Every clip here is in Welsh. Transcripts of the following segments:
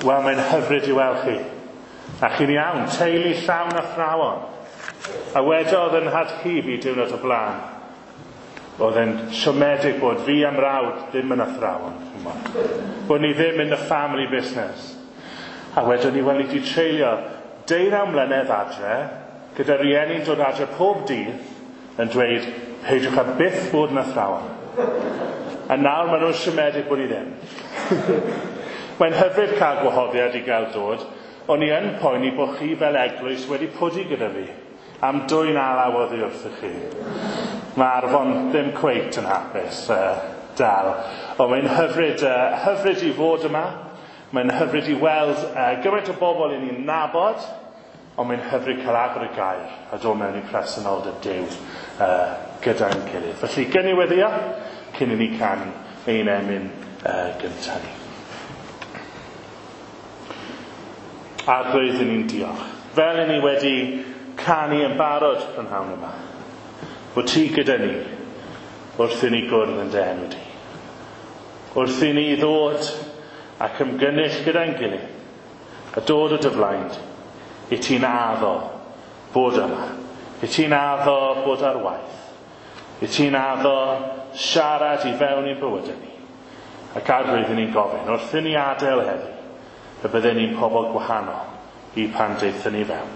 Wel, mae'n hyfryd i weld chi. A chi'n iawn, teulu llawn athrawon. A wedodd yn nhad-cu fi diwrnod o blaen. Oedd e'n siomedig bod fi a'm mrawd ddim yn athrawon. Bod ni ddim in the family business. A wedon ni, wel, ni wedi treulio 19 mlynedd adre, gyda rieni'n dod adre pob dydd, yn dweud, peidiwch â byth bod yn athrawon. A nawr maen nhw'n siomedig bod ni ddim. Mae'n hyfryd cael gwahoddiad i gael dod. O'n i yn poeni bod chi fel eglwys wedi pwdu gyda fi am dwyn alaw oddi wrthych chi. Mae Arfon ddim cweit yn hapus dal. Ond mae'n hyfryd, hyfryd i fod yma. Mae'n hyfryd i weld gymaint o bobl i ni'n nabod. Ond mae'n hyfryd cael agor y gair a dod mewn i presenoldeb Duw gyda'n gilydd. Felly, gyn i weddïo cyn i ni canu ein emyn gyntaf ni. Arglwydd, i ni'n diolch. Fel i ni wedi canu yn barod prynhawn yma, bod ti gyda ni wrth i ni gwrdd yn dy enw di. Wrth i ni ddod ac ymgynnull gyda'n gilydd a dod o dy flaen di, i ti'n addo bod yma, i ti'n addo bod ar waith, i ti'n addo siarad i fewn i'n bywydau ni. Ac Arglwydd, i ni'n gofyn, wrth i ni adael heddi, y bydden ni'n pobl gwahanol i pan daethon ni fewn.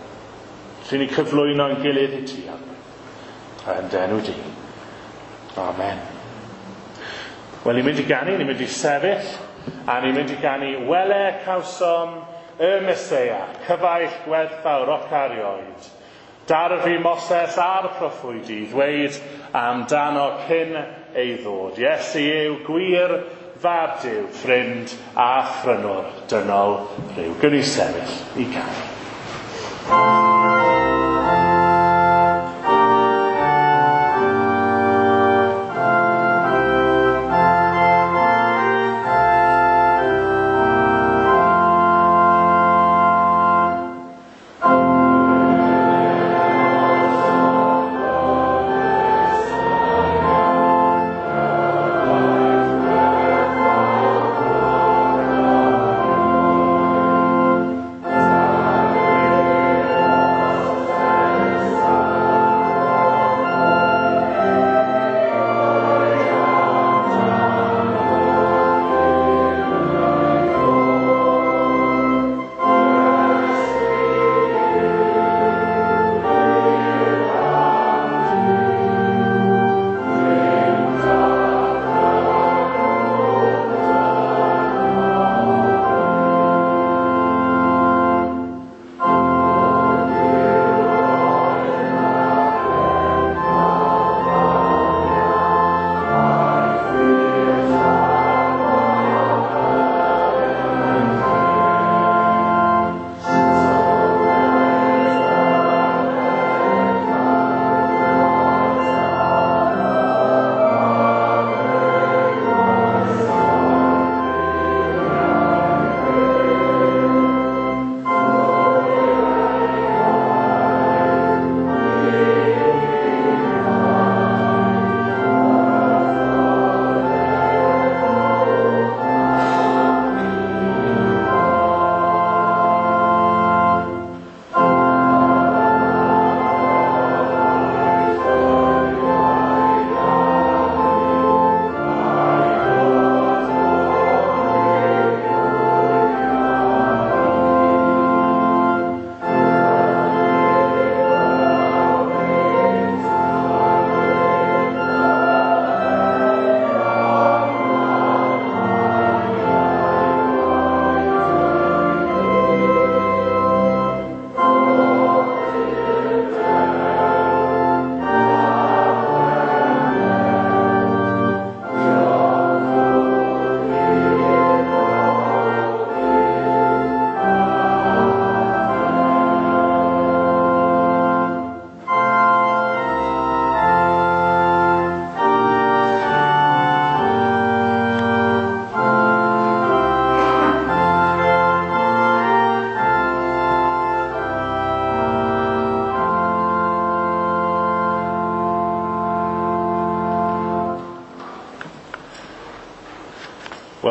Felly ni cyflwyno ein gilydd i ti, Arglwydd, a yn dy enw di. Amen. Wel, ni'n mynd i ganu, ni'n mynd i sefyll, a ni'n mynd i ganu Wele cawsom y Meseia, cyfaill gwerthfawr oc erioed. Darfu Moses a'r proffwydi ddweud amdano cyn ei ddod. Iesu yw gwir fab Duw, ffrind a phrynwr dynol rhyw. Gwn i sefyll i ganu.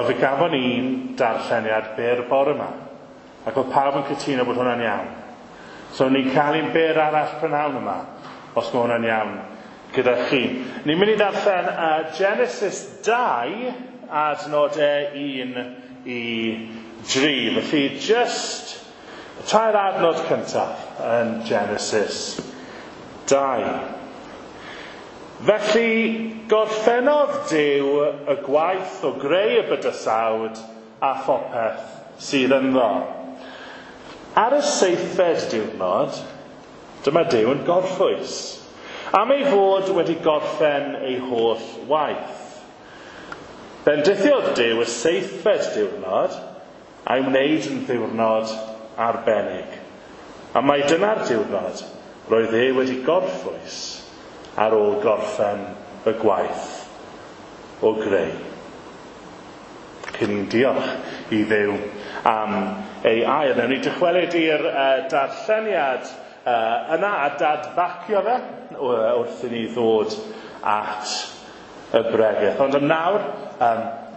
Wel, fe gafon ni un darlleniad byr bore yma. Ac oedd pawb yn cytuno bod hwnna'n iawn. So ni'n cael un byr arall prynhawn yma, os mae hwnna'n iawn gyda chi. Ni'n mynd i ddarllen Genesis 2, adnodau 1 i 3. Felly, just y tair adnod cyntaf yn Genesis 2. Felly, gorffennodd Duw y gwaith o greu y bydysawd a phopeth sydd ynddo. Ar y seithfed diwrnod, dyma Duw yn gorffwys, am ei fod wedi gorffen ei holl waith. Bendithiodd Duw y seithfed diwrnod a'i wneud yn ddiwrnod arbennig. A mai dyna'r diwrnod roedd e wedi gorffwys ar ôl gorffen y gwaith o greu. Cyn ni'n diolch i Dduw am ei air. Newn ni dychwelyd i'r darlleniad yna a dadbacio fe wrth i ni ddod at y bregeth. Ond am nawr,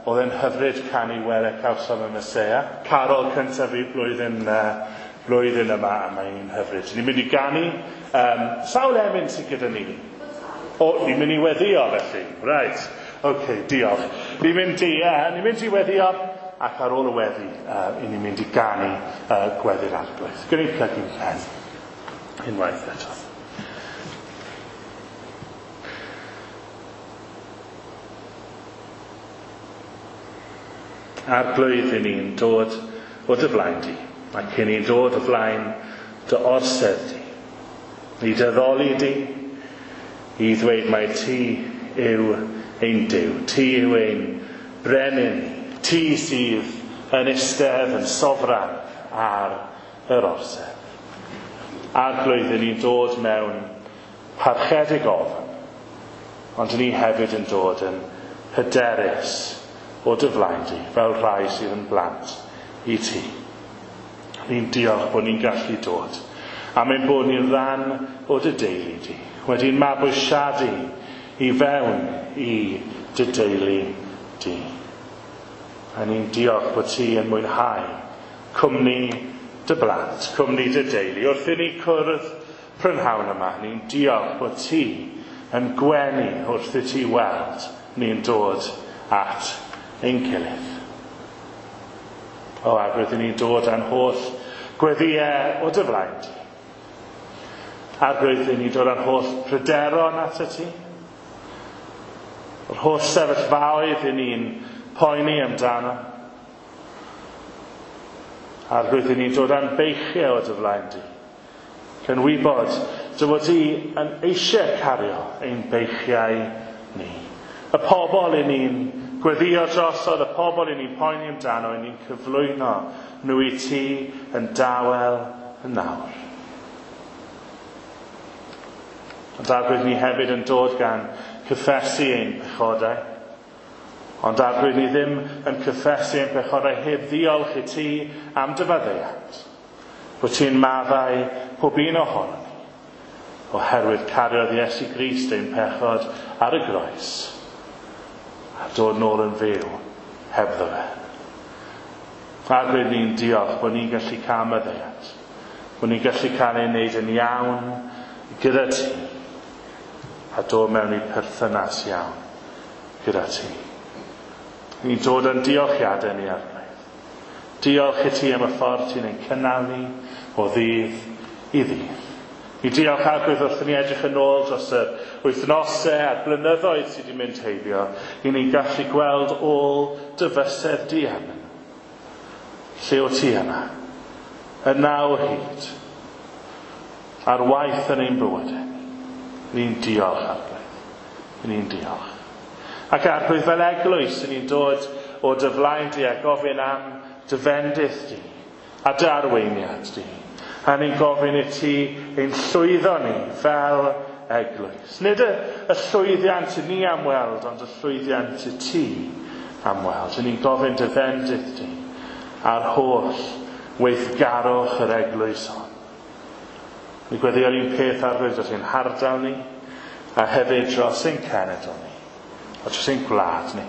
oedd e'n hyfryd canu Wele Cawsom y Meseia. Carol cyntaf fi blwyddyn yma, a mae'n hyfryd. Ni'n mynd i ganu sawl emyn sydd gyda ni. O, ni'n mynd i weddio felly. Right. OK, diolch. Ni'n mynd i weddio, ac ar ôl y weddi, ni'n mynd i ganu gweddi'r Arglwydd. Gwneud ni plygu'n pen unwaith eto. Arglwydd, i ni'n dod o dy flaen di, ac i ni'n dod o flaen dy orsedd di. I dy ddoli di, i ddweud mai ti yw ein Duw, ti yw ein brenin, ti sydd yn eistedd yn sofran ar yr orsedd. Arglwydd, i ni'n dod mewn parchedig ofn, ond ni hefyd yn dod yn hyderus o dy flaen di, fel rhai sydd yn blant i ti. Ni'n diolch bod ni'n gallu dod, am ein bod ni'n rhan o dy deulu di, wedi'n mabwysiadu i fewn i dy deulu di. A ni'n diolch bod ti yn mwynhau cwmni dy blant, cwmni dy deulu. Wrth i ni cwrdd prynhawn yma, ni'n diolch bod ti yn gwenu wrth i ti weld ni'n dod at ein gilydd. O, ac wrth i ni'n dod â'n holl gweddïau o dy flaen di. Arglwydd, i ni'n dod â'n holl pryderon at y ti. Yr holl sefyllfaoedd i ni'n poeni amdano. Arglwydd, i ni'n dod â'n beichiau o dy flaen di. Gan wybod dy fod ti yn eisiau cario ein beichiau ni. Y pobl i ni'n gweddio drosodd, y pobl i ni'n poeni amdano, i ni'n cyflwyno nhw i ti yn dawel yn nawr. Ond Arglwydd, ni hefyd yn dod gan cyffesu ein pechodau. Ond Arglwydd, ni ddim yn cyffesu ein pechodau heb ddiolch i ti am dy faddeuant. Bod ti'n maddau pob un ohonon ni, oherwydd cariodd Iesu Grist ein pechod ar y groes, a dod nôl yn fyw hebddo fe. Arglwydd, ni'n diolch bod ni'n gallu cael maddeuant, bod ni'n gallu cael ei wneud yn iawn gyda ti, a dod mewn i perthynas iawn gyda ti. Ni'n dod yn diolchiadau ni, Arglwydd. Diolch i ti am y ffordd ti'n ein cynnal ni o ddydd i ddydd. Ni diolch, Arglwydd, wrth i ni edrych yn ôl dros yr wythnosau a'r blynyddoedd sydd wedi mynd heibio, i ni'n gallu gweld ôl dy fysedd di arnyn. Lle o ti yna? Yna o hyd. Ar waith yn ein bywydau. Ni'n diolch, Arglwydd. Ni'n diolch. Ac Arglwydd, fel eglwys, ni'n dod o dy flaen di a gofyn am dy fendith di a dy arweiniad di. A ni'n gofyn i ti ein llwyddo ni fel eglwys. Nid y llwyddiant i ni am weld, ond y llwyddiant i ti am weld. Ni'n gofyn dy fendith di a'r holl weithgarwch yr eglwys hon. Ni'n gweddïo'r un peth, Arglwydd, dros ein hardal ni, a hefyd dros ein cenedl ni, a dros ein gwlad ni.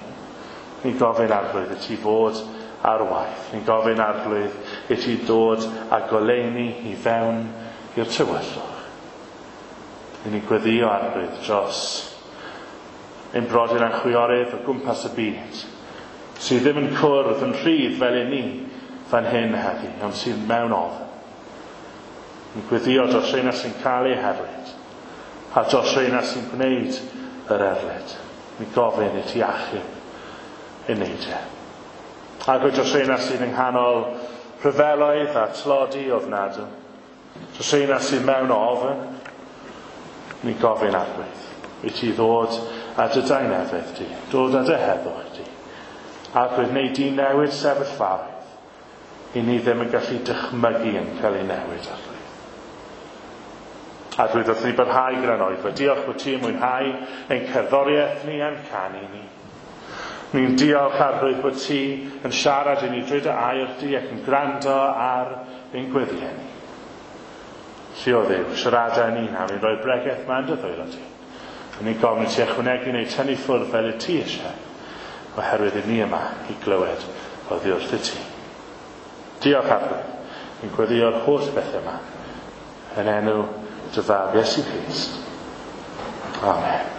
Ni'n gofyn Arglwydd i ti fod ar waith. Ni'n gofyn Arglwydd i ti dod a goleuni i fewn i'r tywyllwch. Ni'n gweddio Arglwydd dros ein brodyr a'n chwiorydd o gwmpas y byd, sydd ddim yn cwrdd yn rhydd fel i ni fan hyn heddi, ond sydd mewn ofn. Ni'n gweddio dros rheina sy'n cael eu herlid, a dros rheina sy'n gwneud yr erlid. Ni'n gofyn i ti achub ein neidiau. Ac dros rheina sydd yng nghanol rhyfeloedd a tlodi ofnadwy, dros rheina sydd mewn ofn, ni'n gofyn Arglwydd i ti ddod a dy daenefedd di, dod â dy heddwch di. Arglwydd, neu di newid sefyllfaoedd i ni ddim yn gallu dychmygu yn cael ei newid, Arglwydd. Arglwydd, wrth ni barhau gyda'n oedfa, diolch bod ti yn mwynhau ein cerddoriaeth ni a'n canu ni. Ni'n diolch, Arglwydd, bod ti yn siarad i ni drwy dy air di ac yn gwrando ar ein gweddiau ni. Lli o Dduw, siarada ni nawr i roi bregeth ma'n dy ddwylo di. A ni'n gofyn i ti ychwanegu neu tynnu ffwrdd fel y ti eisiau, oherwydd i ni yma i glywed oddi wrth y ti. Diolch, Arglwydd. Ni'n gweddïo'r holl bethau yma yn enw dy fab Iesu Grist. Amen.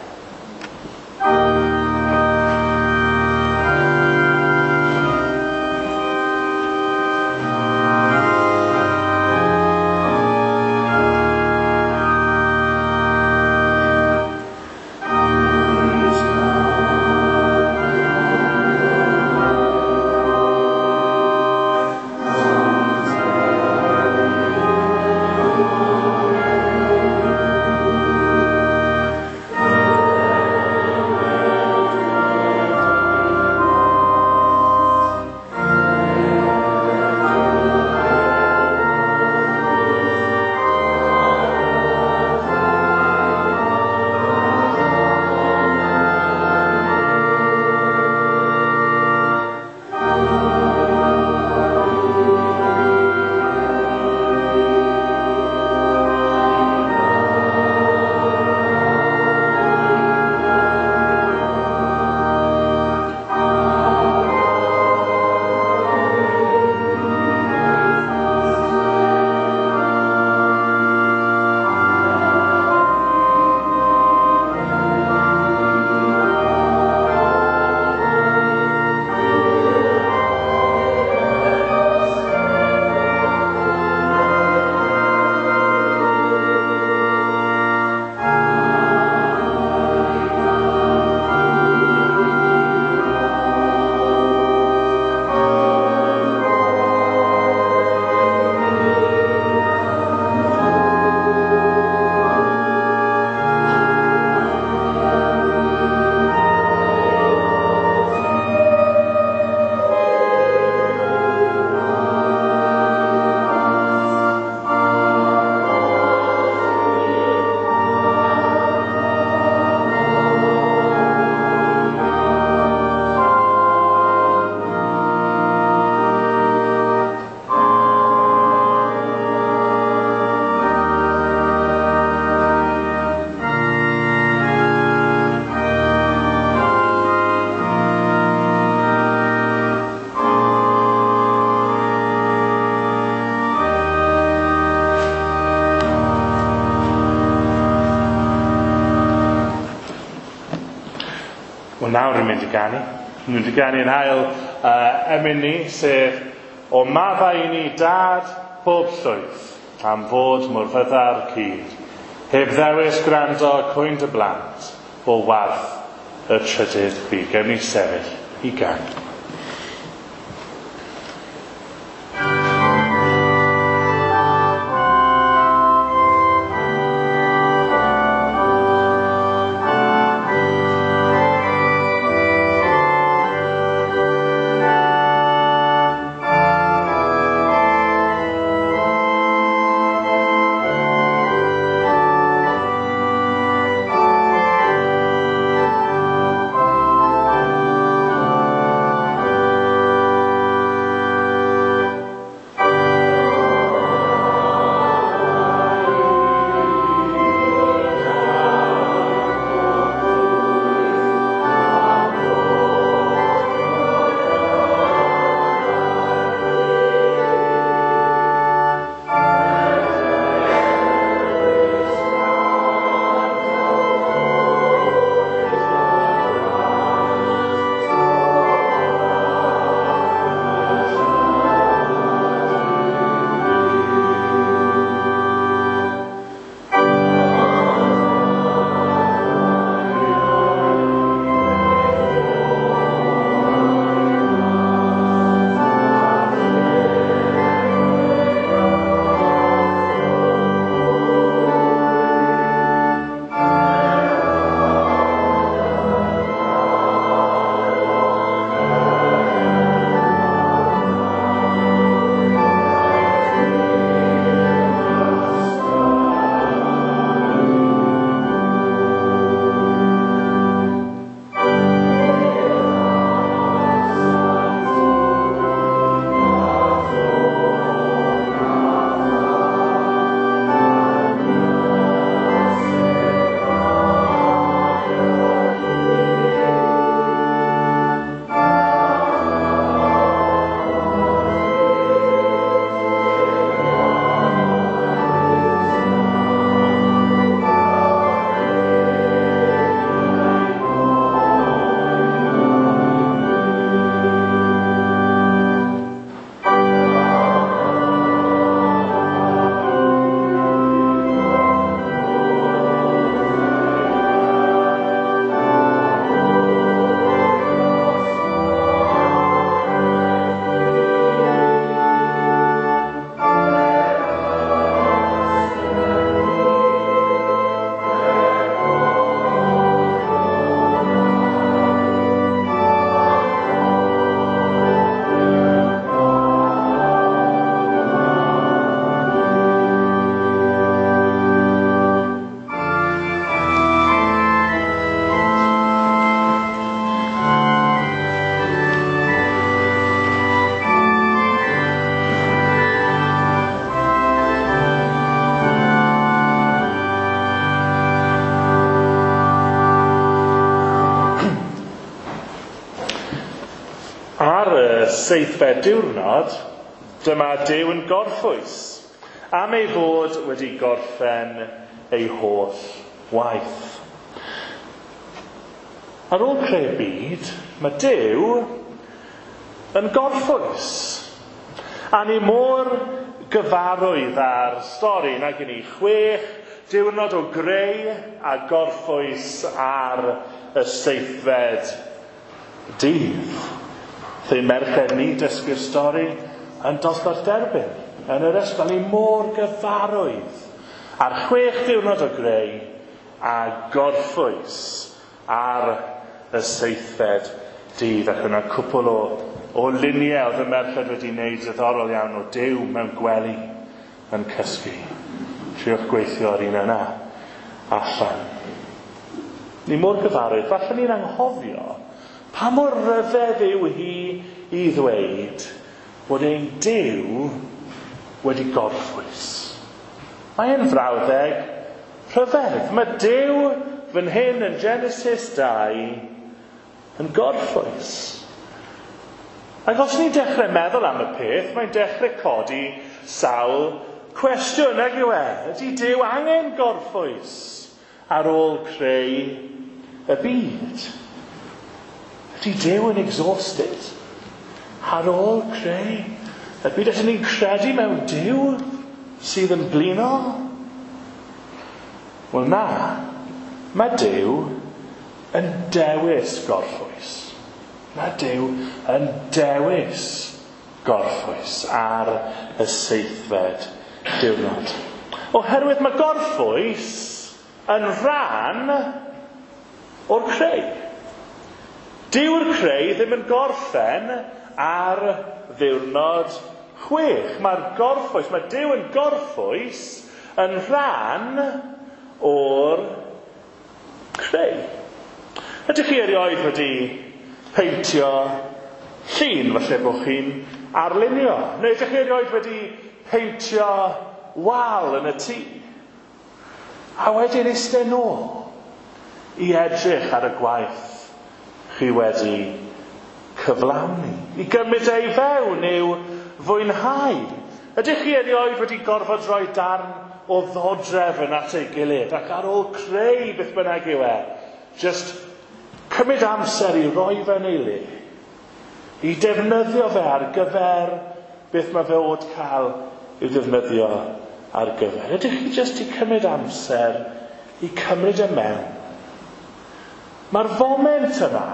Wel, nawr yn mynd i ganu. Yn mynd i ganu yn hael emyn ni, sef O maddau i ni dad pob llwyth, am fod mor fyddar cyd. Heb ddewis gwrando cwyn dy blant, o warth y trydydd byd. Gewn ni sefyll i ganu. seithfed diwrnod, dyma Duw yn gorffwys, am ei fod wedi gorffen ei holl waith. Ar ôl creu'r byd, mae Duw yn gorffwys. A ni mor gyfarwydd â'r stori nag i ni 6 diwrnod o greu a gorffwys ar y seithfed dydd. Ein merched ni dysgu'r stori yn dosbarth derbyn yn yr ysgol. Ni mor gyfarwydd ar 6 diwrnod o greu a gorffwys ar y seithfed dydd. Ac yna cwpl o luniau oedd y merched wedi wneud diddorol iawn o Duw mewn gwely yn cysgu. Triwch gweithio ar un yna allan. Ni mor gyfarwydd, falle ni'n anghofio pa mor ryfedd yw hi i ddweud bod ein Duw wedi gorffwys. Mae'n frawddeg rhyfedd. Mae Duw fan hyn yn Genesis 2 yn gorffwys. Ac os ni'n dechrau meddwl am y peth, mae'n dechrau codi sawl cwestiwn, nag yw e? Ydy Duw angen gorffwys ar ôl creu y byd? Ydy Duw yn exhausted ar ôl creu y byd? Ydyn ni'n credu mewn Duw sydd yn blino? Wel na, mae Duw yn dewis gorffwys. Mae Duw yn dewis gorffwys ar y seithfed diwrnod. Oherwydd mae gorffwys yn rhan o'r creu. Dyw'r creu ddim yn gorffen ar ddiwrnod 6. Mae'r gorffwys, mae Duw yn gorffwys yn rhan o'r creu. Ydych chi erioed wedi peintio llun, falle bod chi'n arlunio? Neu ydych chi erioed wedi peintio wal yn y tŷ? A wedyn eistedd nôl i edrych ar y gwaith chi wedi cyflawni. I gymryd ei fewn i'w fwynhau. Ydych chi erioed wedi gorfod rhoi darn o ddodrefn at ei gilydd ac ar ôl creu beth bynnag yw e, just cymryd amser i roi fe'n ei le, i defnyddio fe ar gyfer beth mae fe oed cael i'w ddefnyddio ar gyfer. Ydych chi jyst i cymryd amser i cymryd e mewn? Mae'r foment yna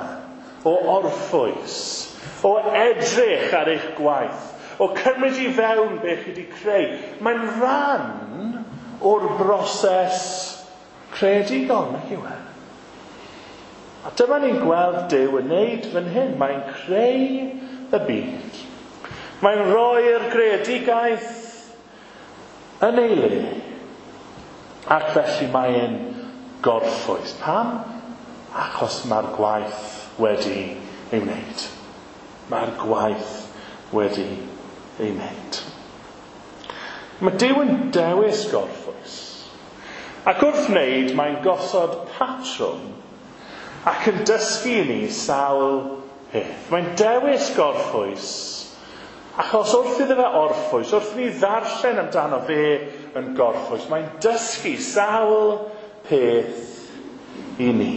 o orffwys, o edrych ar eich gwaith, o cymryd i fewn beth chi wedi creu, mae'n rhan o'r broses creadigol, nag yw e? A dyma ni'n gweld Duw yn wneud fan hyn. Mae'n creu y byd. Mae'n rhoi'r greadigaeth yn ei le. Ac felly mae'n gorffwys. Pam? Achos mae'r gwaith wedi ei wneud. Mae'r gwaith wedi ei wneud. Mae Duw yn dewis gorffwys. Ac wrth wneud, mae'n gosod patrwm ac yn dysgu i ni sawl peth. Mae'n dewis gorffwys achos wrth iddo fe orffwys, wrth i ni ddarllen amdano fe yn gorffwys, mae'n dysgu sawl peth i ni.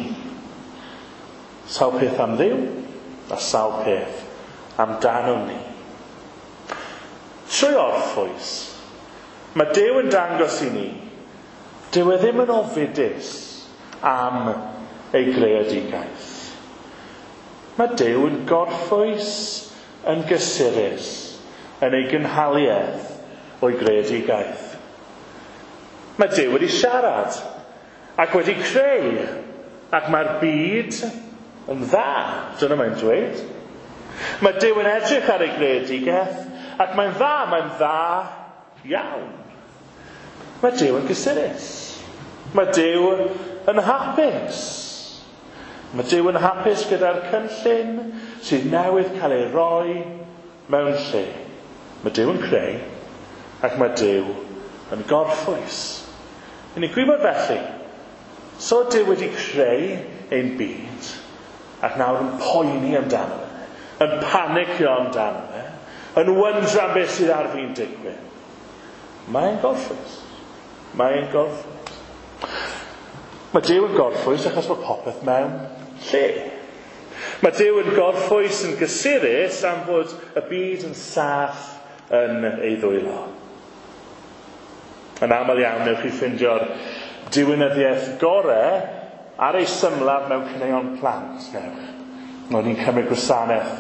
Sawl peth am Dduw a sawl peth amdano ni. Trwy orffwys, mae Duw yn dangos i ni, dyw e ddim yn ofidus am ei greadigaeth. Mae Duw yn gorffwys yn gysurus yn ei gynhaliaeth o'i greadigaeth. Mae Duw wedi siarad ac wedi creu, ac mae'r byd yn dda, dyna mae'n dweud. Mae Duw yn edrych ar ei greadigaeth ac mae'n dda iawn. Mae Duw yn gysurus. Mae Duw yn hapus. Mae Duw yn hapus gyda'r cynllun sydd newydd cael ei roi mewn lle. Mae Duw yn creu ac mae Duw yn gorffwys. Yn ni'n gwybod felly, so Duw wedi creu ein byd ac nawr yn poeni amdano fe, yn panicio amdano fe, Yn wyndran beth sydd ar fi'n digwydd. Mae'n gorffwys. Mae'n gorffwys. Mae Duw yn gorffwys achos mae popeth mewn lle. Mae Duw yn gorffwys yn gysurus am fod y byd yn saff yn ei ddwylo. Yn aml iawn, newch chi ffeindio'r diwinyddiaeth gore ar ei symlaf mewn caneuon plant, newch. O'n i'n cymryd gwasanaeth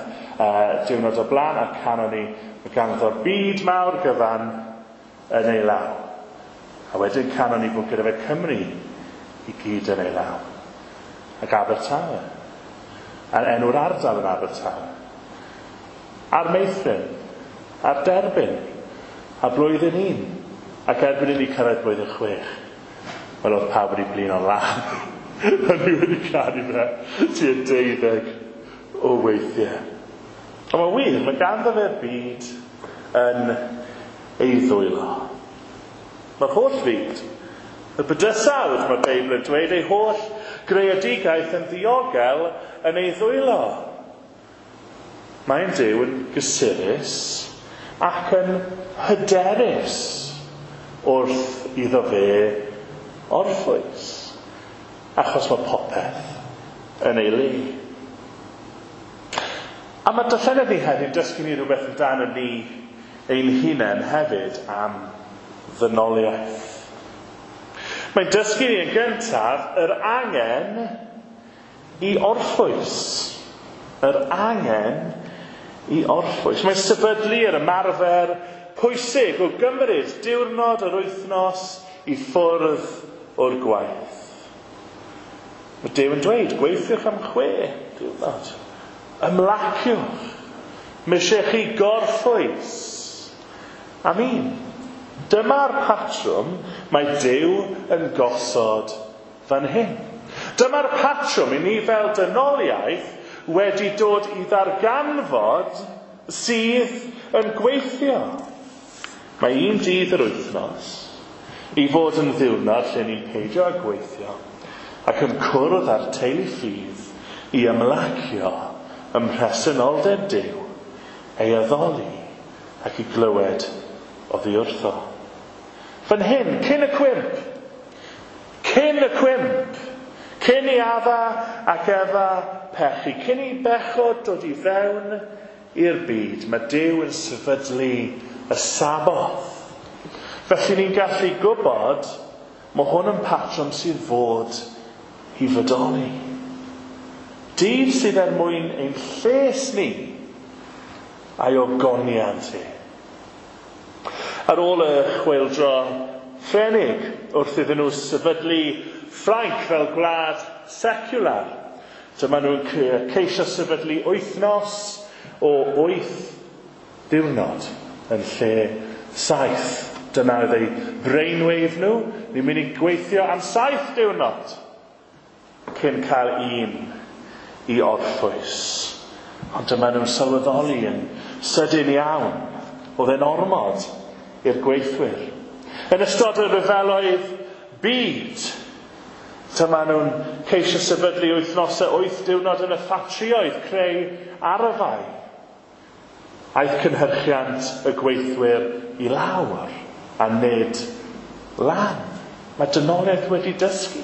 diwrnod o blaen a canon ni mae ganddo'r byd mawr gyfan yn ei law. A wedyn canon ni bod gyda fe Cymru i gyd yn ei law. Ac Abertawe. A'r enw'r ardal yn Abertawe. A'r meithrin. A'r derbyn. A blwyddyn 1. Ac erbyn i ni cyrraedd blwyddyn 6. Wel, oedd pawb wedi blino'n lân. A ni wedi canu fe tua 12 o weithiau. Ond mae'n wir, mae ganddo fe'r byd yn ei ddwylo. Mae'r holl fyd, y bydysawd, mae'r Beibl yn dweud, ei holl greadigaeth yn ddiogel yn ei ddwylo. Mae'n Duw yn gysurus ac yn hyderus wrth iddo fe orffwys, achos mae popeth yn ei le. A mae darllenedd ni heddiw'n dysgu ni rhywbeth amdano ni ein hunain hefyd am ddynoliaeth. Mae'n dysgu ni yn gyntaf yr angen i orffwys. Yr angen i orffwys. Mae'n sefydlu yr ymarfer pwysig o gymryd diwrnod yr wythnos i ffwrdd o'r gwaith. Mae Duw yn dweud, gweithiwch am 6 diwrnod. Ymlaciwch. Mae eisiau chi gorffwys. Am un. Dyma'r patrwm mae Duw yn gosod fan hyn. Dyma'r patrwm i ni fel dynoliaeth wedi dod i ddarganfod sydd yn gweithio. Mae un dydd yr wythnos i fod yn ddiwrnod lle ni'n peidio â gweithio ac yn cwrdd â'r teulu ffydd i ymlacio ym mhresenoldeb Duw, ei addoli ac i glywed oddi wrtho. Fan hyn, cyn y cwymp, cyn i Adda ac Efa pechu, cyn i bechod dod i fewn i'r byd, mae Duw yn sefydlu y Saboth. Felly ni'n gallu gwybod mae hwn yn patrwm sydd fod i fodoli. Dydd sydd er mwyn ein lles ni a'i ogoniant e. Ar ôl y chwyldro Ffrenig, wrth iddyn nhw sefydlu Ffrainc fel gwlad secular, dyma nhw'n ceisio sefydlu wythnos o 8 diwrnod yn lle 7. Dyna oedd eu brainwave nhw. Ni'n mynd i gweithio am 7 diwrnod cyn cael un i orffwys. Ond dyma nhw'n sylweddoli yn sydyn iawn. Oedd e'n ormod i'r gweithwyr. Yn ystod y rhyfeloedd byd, dyma nhw'n ceisio sefydlu wythnosau 8 diwrnod yn y ffatrïoedd, creu arfau. Aeth cynhyrchiant y gweithwyr i lawr a nid lan. Mae dynoliaeth wedi dysgu.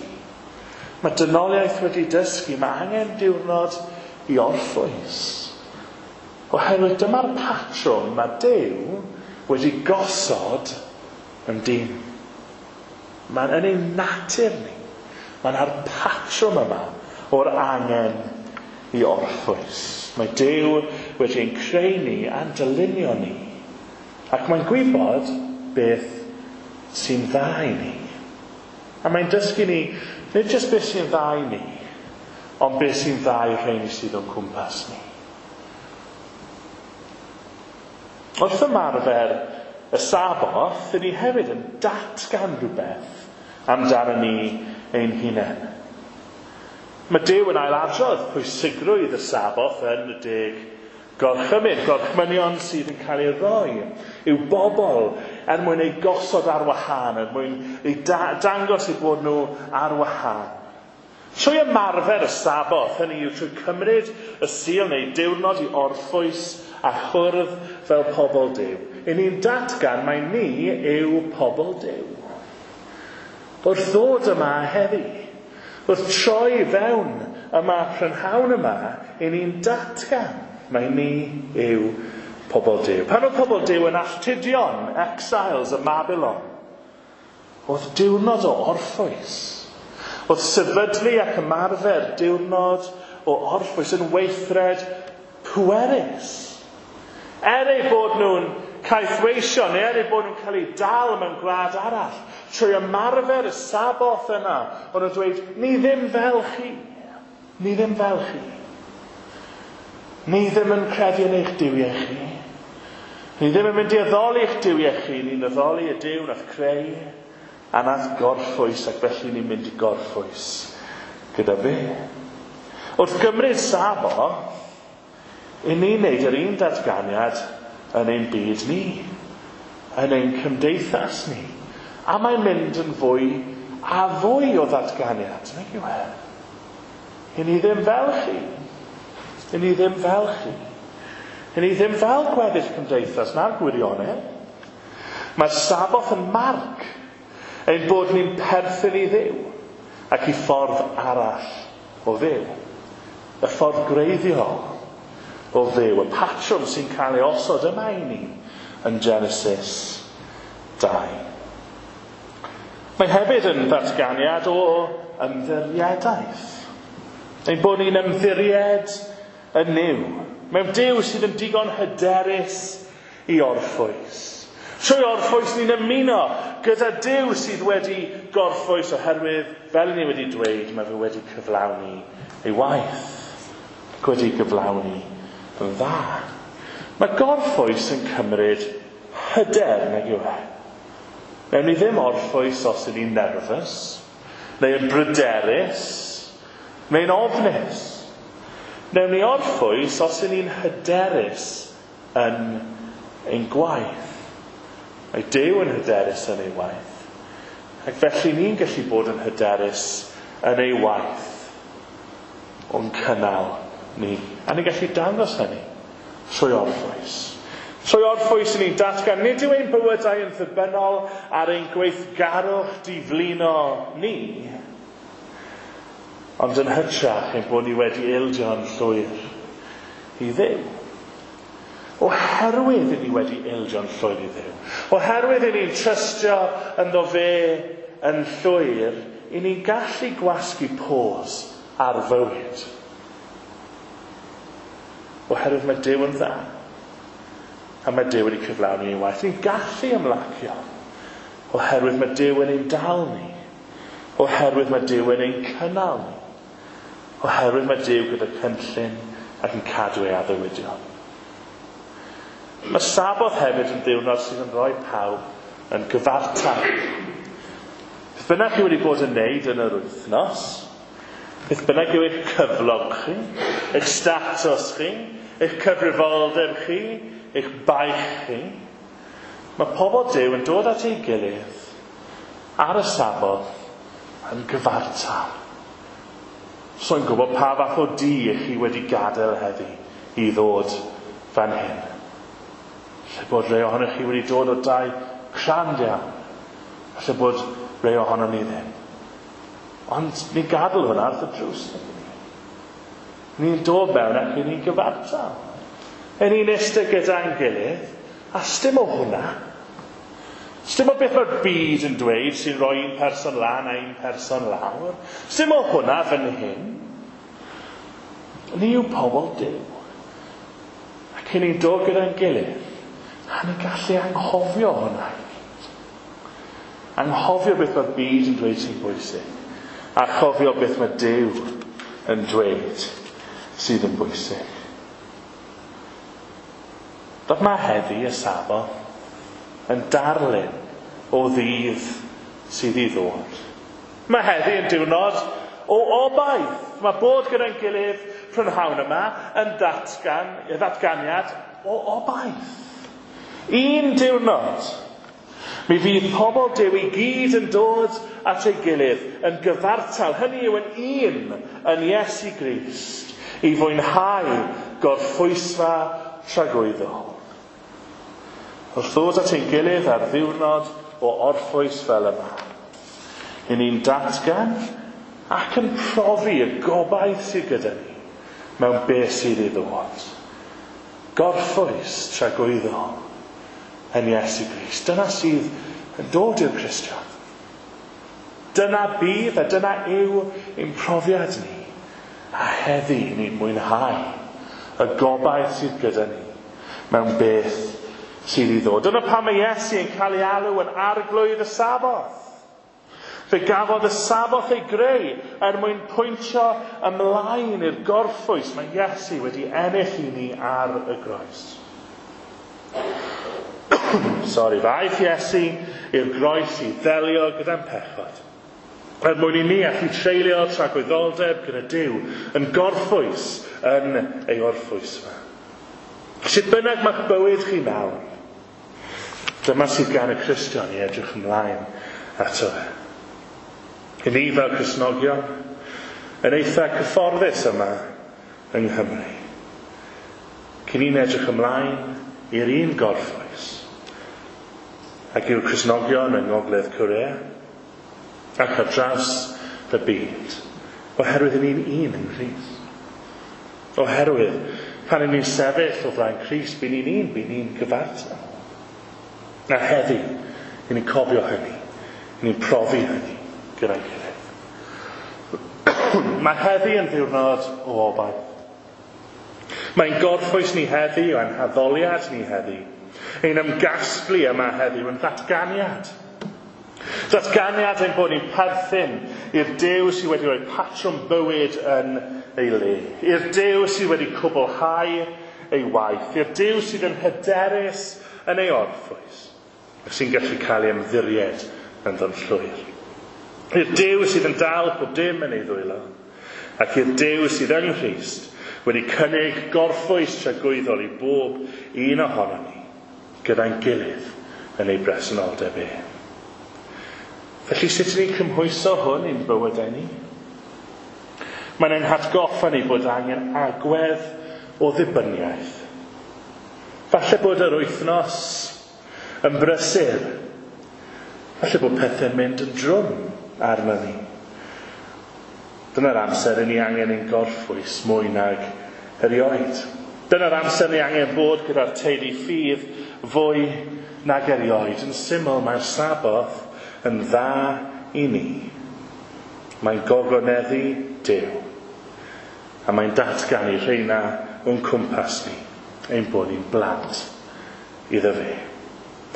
Mae dynoliaeth wedi dysgu. Mae angen diwrnod i orffwys. Oherwydd dyma'r patrwm mae Duw wedi gosod yn dyn. Mae'n yn ein natur ni. Mae'n ar patrwm yma o'r angen i orffwys. Mae Duw wedi ein creu ni a'n dylunio ni. Ac mae'n gwybod beth sy'n dda i ni. A mae'n dysgu ni, nid jyst beth sy'n dda i ni, ond beth sy'n dda i'r rheini sydd o'n cwmpas ni. Wrth ymarfer y Saboth, ni hefyd yn datgan rhywbeth amdano ni ein hunain. Mae Duw yn ailadrodd pwysigrwydd y Saboth yn y 10 gorchymyn, gorchmynion sydd yn cael ei roi i'w bobl er mwyn eu gosod ar wahân, er mwyn eu dangos eu bod nhw ar wahân. Trwy ymarfer y Saboth, hynny yw trwy cymryd y Sul neu diwrnod i orffwys a chwrdd fel pobl Duw, i ni'n datgan mai ni yw pobl Duw. Wrth ddod yma heddi, wrth troi fewn yma prynhawn yma, i ni'n datgan mai ni yw pobl Duw. Pan oedd pobl Duw yn alltudion, exiles ym Mabilon, oedd diwrnod o orffwys. Oedd sefydlu ac ymarfer diwrnod o orffwys yn weithred pwerus. Er eu bod nhw'n caethweision, neu er eu bod nhw'n cael eu dal mewn gwlad arall, trwy ymarfer y Saboth yna, o'n nhw'n dweud, ni ddim fel chi. Ni ddim fel chi. Ni ddim yn credu yn eich duwiau chi. Ni ddim yn mynd i addoli eich duwiau chi. Ni'n addoli y Duw nath creu a nath gorffwys, ac felly ni'n mynd i gorffwys gyda fe. Wrth gymryd Saboth, i ni'n neud yr un datganiad yn ein byd ni, yn ein cymdeithas ni. A mae'n mynd yn fwy a fwy o ddatganiad, nag yw e? I ni ddim fel chi. I ni ddim fel chi. I ni ddim fel gweddill cymdeithas na'r gwirionedd. Mae'r Saboth yn marc ein bod ni'n perthyn i Dduw ac i ffordd arall o fyw. Y ffordd gwreiddiol o fyw, y patrwm sy'n cael ei osod yma i ni yn Genesis 2. Mae hefyd yn ddatganiad o ymddiriedaeth. Ein bod ni'n ymddiried yn Nuw, mewn Duw sydd yn digon hyderus i orffwys. Trwy orffwys ni'n ymuno gyda Duw sydd wedi gorffwys oherwydd, fel ni wedi dweud, mae fe wedi cyflawni ei waith. Ac wedi gyflawni yn dda. Mae gorffwys yn cymryd hyder, nag yw e? Newn ni ddim orffwys os ydyn ni'n nervous, neu yn bryderus, neu'n ofnus. Newn ni orffwys os ydyn ni'n hyderus yn ein gwaith. Mae Duw yn hyderus yn ei waith. Ac felly ni'n gallu bod yn hyderus yn ei waith o'n cynnal ni. A ni'n gallu dangos hynny trwy orffwys. Trwy orffwys ni'n datgan, nid yw ein bywydau yn ddibynnol ar ein gweithgarwch diflino ni, ond yn hytrach ein bod ni wedi ildio'n llwyr i Dduw. Oherwydd i ni wedi ildio'n llwyr i Dduw. Oherwydd i ni'n trystio ynddo fe yn llwyr, i ni'n gallu gwasgu pause ar fywyd. Oherwydd mae Duw yn dda. A mae Duw wedi cyflawni ei waith. Ni'n gallu ymlacio. Oherwydd mae Duw yn ein dal ni. Oherwydd mae Duw yn ein cynnal ni. Oherwydd mae Duw gyda cynllun ac yn cadw ei addewidion. Mae Saboth hefyd yn ddiwrnod sydd yn rhoi pawb yn gyfartal. Beth bynnag chi wedi bod yn neud yn yr wythnos, beth bynnag yw eich cyflog chi, eich statws chi, eich cyfrifoldeb chi, eich baich chi, mae pobl Duw yn dod at ei gilydd ar y Saboth yn gyfartal. So'n gwybod pa fath o dŷ ych chi wedi gadael heddi i ddod fan hyn. Lle bod rhai ohonoch chi wedi dod o dai crand iawn. Lle bod rhai ohono ni ddim. Ond ni'n gadael hwnna wrth y drws. Ni'n dod mewn ac ni'n gyfartal. Yn ni'n eistedd gyda'n gilydd, a sdim o hwnna. Sdim o beth mae'r byd yn dweud sy'n rhoi un person lan a un person lawr. Sdim o hwnna fan hyn. Ni yw pobl Duw. Ac ni'n dod gyda'n gilydd, a ni'n gallu anghofio hwnna. Anghofio beth mae'r byd yn dweud sy'n bwysig. A chofio beth mae Duw yn dweud sydd yn bwysig. Dod mae heddi y Saboth yn darlun o ddydd sydd i ddod. Mae heddi yn diwrnod o obaith. Mae bod gyda'n gilydd prynhawn yma yn ddatganiad o obaith. Un diwrnod Mi fydd pobl Duw i gyd yn dod at ei gilydd yn gyfartal, hynny yw yn un yn Iesu Grist, i fwynhau gorffwysfa tragwyddol. Wrth ddod at ein gilydd ar ddiwrnod o orffwys fel yma, i ni'n datgan ac yn profi y gobaith sydd gyda ni mewn beth sydd i ddod. Gorffwys tragwyddol yn Iesu Grist. Dyna sydd yn dod i'r Cristion. Dyna bydd a dyna yw ein profiad ni. A heddi ni'n mwynhau y gobaith sydd gyda ni mewn beth sydd i ddod. Dyna pam mae Iesu yn cael ei alw yn arglwydd y Saboth. Fe gafodd y Saboth ei greu er mwyn pwyntio ymlaen i'r gorffwys mae Iesu wedi ennill i ni ar y groes. Sori, fe aeth Iesu i'r groes i ddelio gyda'n pechod. Er mwyn i ni allu treulio tragwyddoldeb gyda Duw yn gorffwys yn ei orffwysfa. Sut bynnag mae'ch bywyd chi nawr, dyma sydd gan y Cristion i edrych ymlaen ato fe. I ni fel Cristnogion, yn eitha cyfforddus yma yng Nghymru. Cyn ni'n edrych ymlaen i'r un gorffwys, ac yw'r Cristnogion yng Ngogledd Corea, ac ar draws y byd, oherwydd ni'n un yng Nghrist. Oherwydd, pan ni'n sefyll o flaen Crist, by ni'n un, by ni'n gyfartal. A heddi, i ni'n cofio hynny, i ni'n profi hynny gyda'n gilydd. Mae heddi yn ddiwrnod o obaith. Mae'n gorffwys ni heddi, o'n haddoliad ni heddi. Ein ymgasglu yma heddiw yn ddatganiad. Datganiad ein bod ni'n perthyn i'r Duw sydd wedi rhoi patrwm bywyd yn ei le. I'r Duw sydd wedi cwblhau ei waith. I'r Duw sydd yn hyderus yn ei orffwys. Ac sy'n gallu cael ei ymddiried ynddo'n llwyr. I'r Duw sydd yn dal pob dim yn ei ddwylo. Ac i'r Duw sydd yng Nghrist wedi cynnig gorffwys tragwyddol i bob un ohonon ni gyda'n gilydd yn ei bresenoldeb e. Felly sut ydyn ni'n cymhwyso hwn i'n bywydau ni? Mae'n ein hatgoffa ni bod angen agwedd o ddibyniaeth. Falle bod yr wythnos yn brysur. Falle bod pethau'n mynd yn drwm arno ni. Dyna'r amser i ni angen ein gorffwys mwy nag erioed. Dyna'r amser ni angen bod gyda'r teulu ffydd fwy nag erioed. Yn syml, mae'r Saboth yn dda i ni. Mae'n gogoneddu Duw. A mae'n datgan i rheina o'n cwmpas ni, ein bod ni'n blant iddo fe.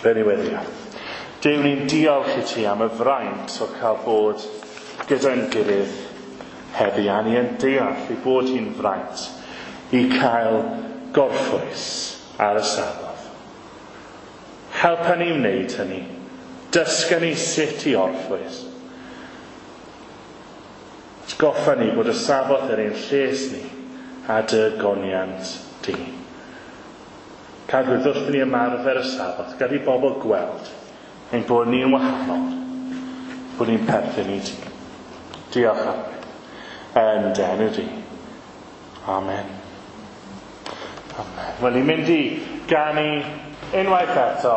Fe ni weddio. Duw, ni'n diolch i ti am y fraint o cael bod gyda'n gilydd heddi, a ni yn deall ei bod hi'n fraint i cael gorffwys ar y Saboth. Helpa ni wneud hynny. Dysga ni sut i orffwys. Atgoffa ni bod y Saboth er ein lles ni a dy goniant di. Cadw wrth ni ymarfer y Saboth, gad i bobl gweld ein bod ni'n wahanol, bod ni'n perthyn i ti. Diolch Arglwydd. Yn dy enw di. Amen. Amen. Wel, ni'n mynd i ganu unwaith eto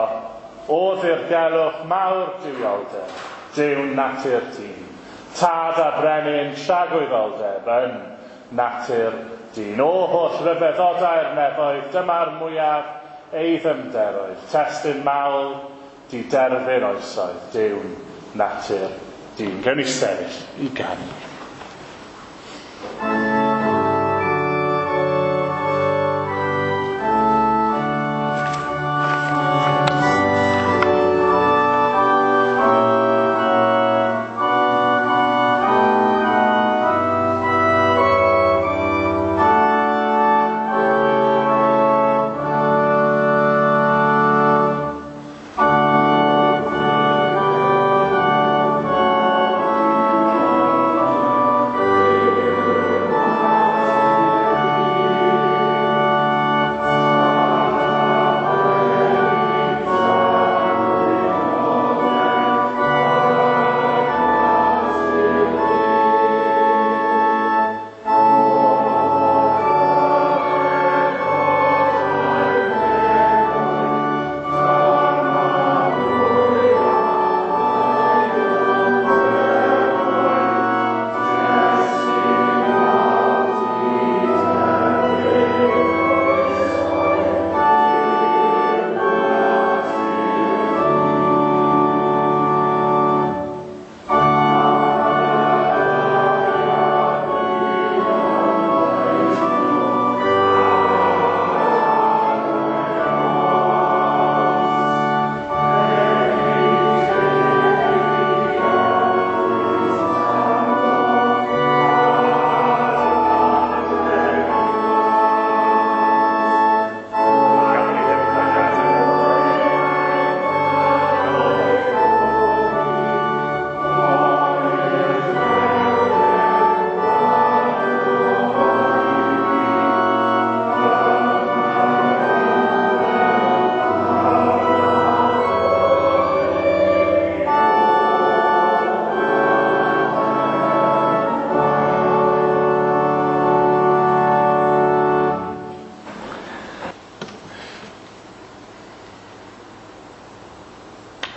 o ddirgelwch mawr duwioldeb, Duw natur dyn. Tad a brenin tragwyddoldeb yn natur dyn. O holl ryfeddodau'r nefoedd, dyma'r mwyaf ei ddyfnderoedd. Testun mawl di derfyn oesoedd, Duw natur dyn. Gewn ni sefyll i ganu. Amen.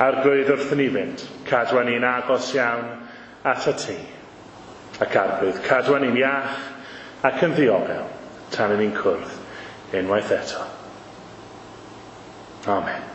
Arglwydd wrth ni fynd, cadwa ni'n agos iawn at y ti. Ac arglwydd, cadwa ni'n iach ac yn ddiogel tan i ni'n cwrdd unwaith eto. Amen.